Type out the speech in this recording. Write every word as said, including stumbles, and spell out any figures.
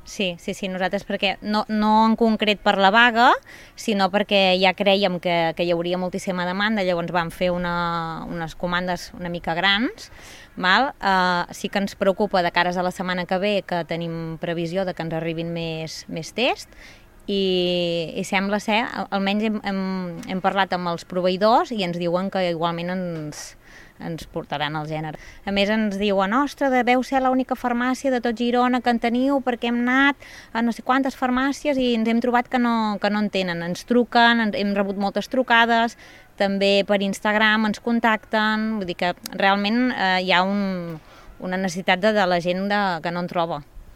Sí, sí, sí, nosaltres perquè no, no en concret per la vaga, sinó perquè ja creiem que, que hi hauria moltíssima demanda, llavors vam fer una, unes comandes una mica grans. Val? Uh, sí que ens preocupa de cares a la setmana que ve que tenim previsió de que ens arribin més, més tests i, i sembla ser, almenys hem, hem, hem parlat amb els proveïdors i ens diuen que igualment ens, ens portaran el gènere. A més ens diuen, ostres, deveu ser l'única farmàcia de tot Girona que en teniu perquè hem anat a no sé quantes farmàcies i ens hem trobat que no, que no en tenen. Ens truquen, ens, hem rebut moltes trucades, també per Instagram ens contacten, vull dir que realment eh, hi ha un, una necessitat de, de la gent de, que no en troba.